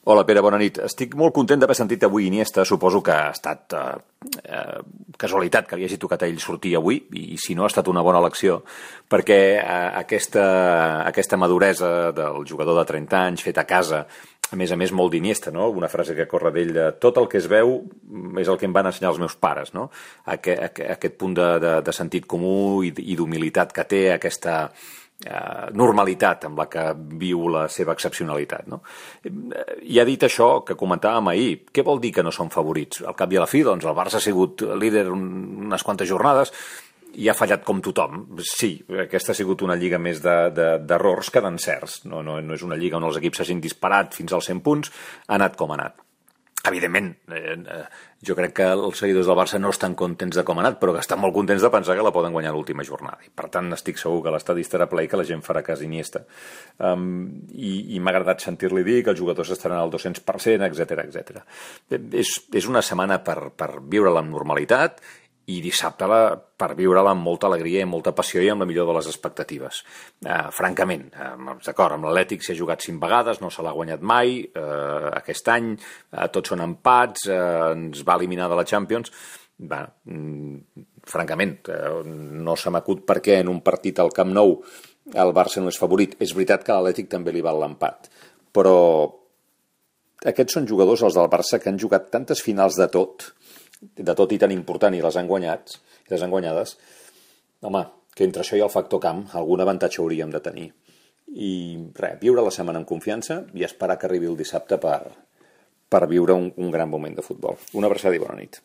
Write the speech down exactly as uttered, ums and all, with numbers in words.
Hola, Pere, bona nit. Estic molt content d'haver sentit avui Iniesta. Suposo que ha estat eh, eh, casualitat que li hagi tocat a ell sortir avui, i si no ha estat una bona elecció, perquè eh, aquesta, aquesta maduresa del jugador de trenta anys fet a casa, a més a més molt d'Iniesta, no? Una frase que corre d'ell de tot el que es veu és el que em van ensenyar els meus pares, no? Aquest, aquest punt de, de, de sentit comú i, i d'humilitat que té, aquesta eh, normalitat amb la que viu la seva excepcionalitat, no? I ha dit això que comentàvem ahir. Què vol dir que no són favorits? Al cap i a la fi, doncs, el Barça ha sigut líder unes quantes jornades i ha fallat com tothom. Sí, aquesta ha sigut una lliga més d'errors de, de, que d'encerts. No, no, no és una lliga on els equips s'hagin disparat fins als cent punts, ha anat com ha anat. Evidentment, eh, jo crec que els seguidors del Barça no estan contents de com ha anat, però que estan molt contents de pensar que la poden guanyar l'última jornada. I per tant, estic segur que l'estadi estarà ple i que la gent farà cas Iniesta. Um, I i m'ha agradat sentir-li dir que els jugadors estaran al dos-cents per cent, etcètera, etcètera. És, és una setmana per, per viure-la amb normalitat i dissabte la, per viure-la amb molta alegria i molta passió i amb la millor de les expectatives. Uh, francament, uh, d'acord, amb l'Atlètic s'hi ha jugat cinc vegades, no se l'ha guanyat mai, uh, aquest any, uh, tots són empats, uh, ens va eliminar de la Champions. Va, mm, francament, uh, no se m'acut per què en un partit al Camp Nou el Barça no és favorit. És veritat que a l'Atlètic també li val l'empat, però aquests són jugadors, els del Barça, que han jugat tantes finals de tot, de tot i tan important, i les han guanyat, i les han guanyades. Home, que entre això i el factor camp algun avantatge hauríem de tenir. I res, viure la setmana amb confiança i esperar que arribi el dissabte per, per viure un, un gran moment de futbol. Una abraçada i bona nit.